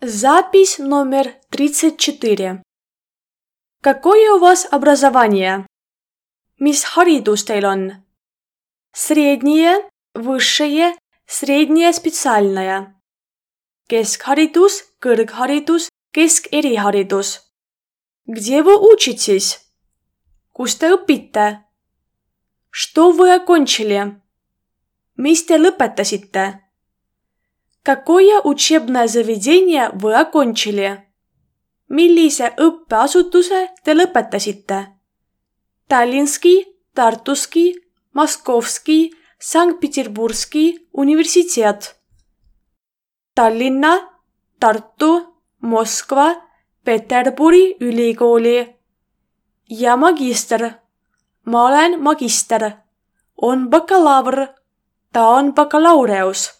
Запись номер 34. Какое у вас образование? Mis haridus teil on? Среднее, высшее, среднее специальное. Keskharidus, kõrgharidus, keskerihharidus. Где вы учитесь? Kus te õpite? Что вы окончили? Mis te lõpetasite? Какое учебное заведение вы окончили? Millise õppeasutuse te lõpetasite? Tallinski, Tartuski, Moskovski, Sankt-Peterburgski universiteet. Tallinna, Tartu, Moskva, Peterburi ülikooli. Ja magister. Ma olen magister. On bakalaureus. Ta on bakalaureus.